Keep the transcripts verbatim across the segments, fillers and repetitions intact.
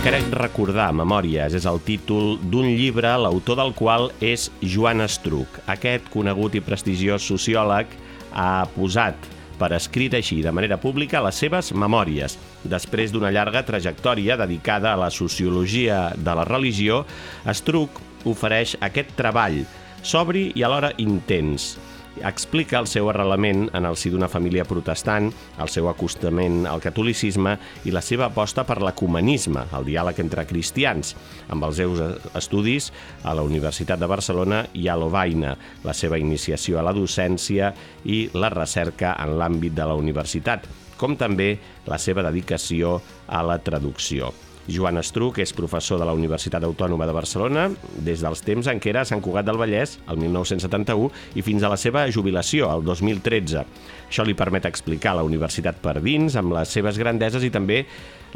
Crec recordar, Memòries, és el títol d'un llibre, l'autor del qual és Joan Estruch. Aquest conegut i prestigiós sociòleg ha posat per escrit així, de manera pública, les seves memòries. Després d'una llarga trajectòria dedicada a la sociologia de la religió, Estruch ofereix aquest treball sobri i alhora intens. Explica el seu arrelament en el si d'una família protestant, el seu acostament al catolicisme i la seva aposta per l'ecumenisme, el diàleg entre cristians, amb els seus estudis a la Universitat de Barcelona i a Lovaina, la seva iniciació a la docència i la recerca en l'àmbit de la universitat, com també la seva dedicació a la traducció. Joan Estruch és professor de la Universitat Autònoma de Barcelona des dels temps en què era a Sant Cugat del Vallès, el mil nou-cents setanta-u, i fins a la seva jubilació, el dos mil tretze. Això li permet explicar la universitat per dins, amb les seves grandeses i també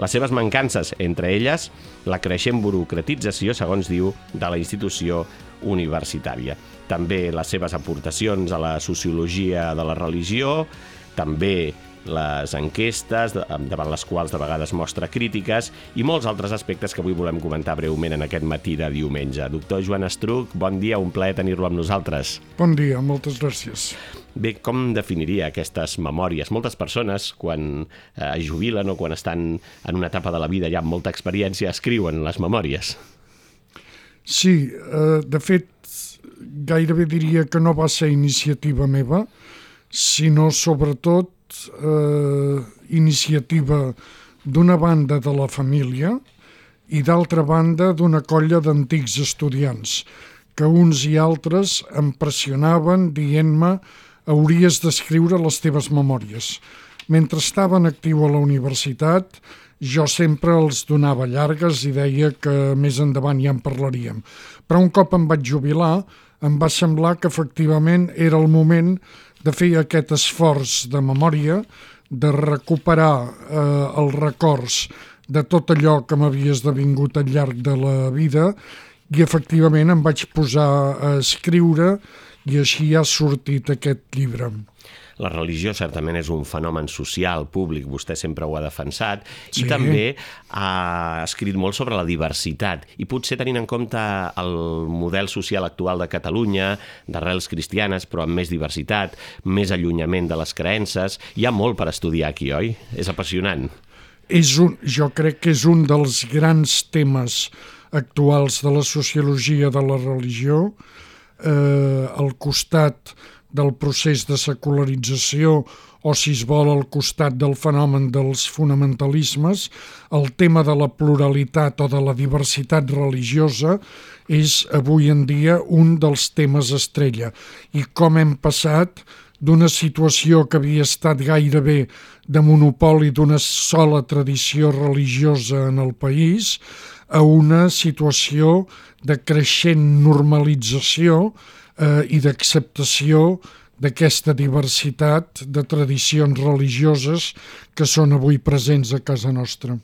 les seves mancances, entre elles la creixent burocratització, segons diu, de la institució universitària. També les seves aportacions a la sociologia de la religió, també les enquestes, davant les quals de vegades mostra crítiques, i molts altres aspectes que avui volem comentar breument en aquest matí de diumenge. Doctor Joan Estruch, bon dia, un plaer tenir-lo amb nosaltres. Bon dia, moltes gràcies. Bé, com definiria aquestes memòries? Moltes persones, quan eh, es jubilen o quan estan en una etapa de la vida ja amb molta experiència, escriuen les memòries. Sí, eh, de fet, gairebé diria que no va ser iniciativa meva, sinó sobretot Eh, iniciativa d'una banda de la família i d'altra banda d'una colla d'antics estudiants que uns i altres em pressionaven dient-me hauries d'escriure les teves memòries. Mentre estava en actiu a la universitat jo sempre els donava llargues i deia que més endavant ja en parlaríem. Però un cop em vaig jubilar em va semblar que efectivament era el moment de fer aquest esforç de memòria, de recuperar eh, els records de tot allò que m'havia esdevingut al llarg de la vida i efectivament em vaig posar a escriure i així ha sortit aquest llibre. La religió certament és un fenomen social, públic, vostè sempre ho ha defensat, sí. I també ha escrit molt sobre la diversitat, i potser tenint en compte el model social actual de Catalunya, d'arrels cristianes, però amb més diversitat, més allunyament de les creences, hi ha molt per estudiar aquí, oi? És apassionant. És un, jo crec que és un dels grans temes actuals de la sociologia de la religió, eh, al costat del procés de secularització o, si es vol, al costat del fenomen dels fonamentalismes, el tema de la pluralitat o de la diversitat religiosa és avui en dia un dels temes estrella. I com hem passat d'una situació que havia estat gairebé de monopoli d'una sola tradició religiosa en el país a una situació de creixent normalització Eh, i d'acceptació d'aquesta diversitat de tradicions religioses que són avui presents a casa nostra.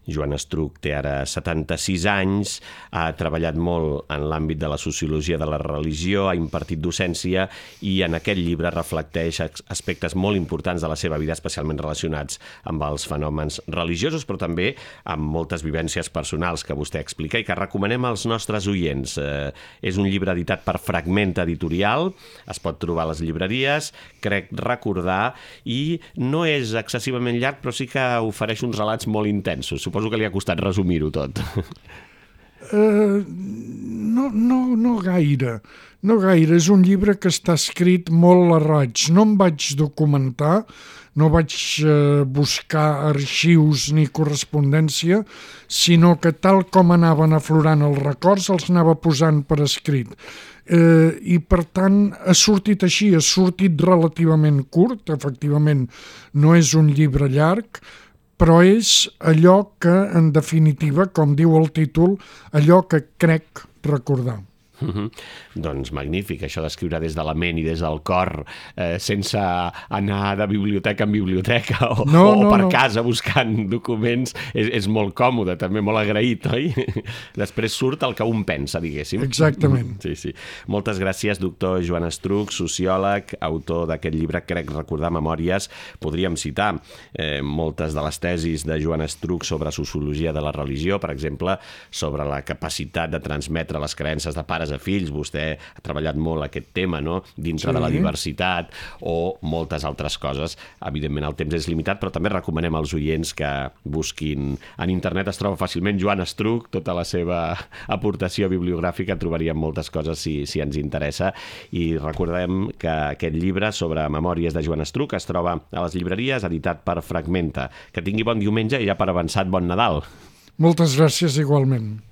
Joan Estruch té ara setanta-sis anys, ha treballat molt en l'àmbit de la sociologia de la religió, ha impartit docència i en aquest llibre reflecteix aspectes molt importants de la seva vida, especialment relacionats amb els fenòmens religiosos, però també amb moltes vivències personals que vostè explica i que recomanem als nostres oients. Eh, és un llibre editat per Fragment Editorial, es pot trobar a les llibreries, crec recordar, i no és excessivament llarg, però sí que ofereix uns relats molt intensos. Suposo que li ha costat resumir-ho tot. Uh, no, no, no gaire. No gaire. És un llibre que està escrit molt a raig. No em vaig documentar, no vaig uh, buscar arxius ni correspondència, sinó que tal com anaven aflorant els records els anava posant per escrit. Uh, I per tant ha sortit així, ha sortit relativament curt, efectivament no és un llibre llarg, però és allò que, en definitiva, com diu el títol, allò que crec recordar. Uh-huh. Doncs magnífic, això d'escriure des de la ment i des del cor, eh, sense anar de biblioteca en biblioteca o, no, o, o no, per no. casa buscant documents, és, és molt còmode, també molt agraït, oi? Després surt el que un pensa, diguéssim. Exactament. Sí, sí. Moltes gràcies, doctor Joan Estruch, sociòleg, autor d'aquest llibre, crec recordar Memòries. Podríem citar eh, moltes de les tesis de Joan Estruch sobre sociologia de la religió, per exemple, sobre la capacitat de transmetre les creences de pares a fills. Vostè ha treballat molt aquest tema, no?, dintre sí. de la diversitat o moltes altres coses. Evidentment el temps és limitat, però també recomanem als oients que busquin en internet, es troba fàcilment Joan Estruch, tota la seva aportació bibliogràfica, trobaríem moltes coses si, si ens interessa, i recordem que aquest llibre sobre Memòries de Joan Estruch es troba a les llibreries, editat per Fragmenta. Que tingui bon diumenge i ja per avançat bon Nadal. Moltes gràcies igualment.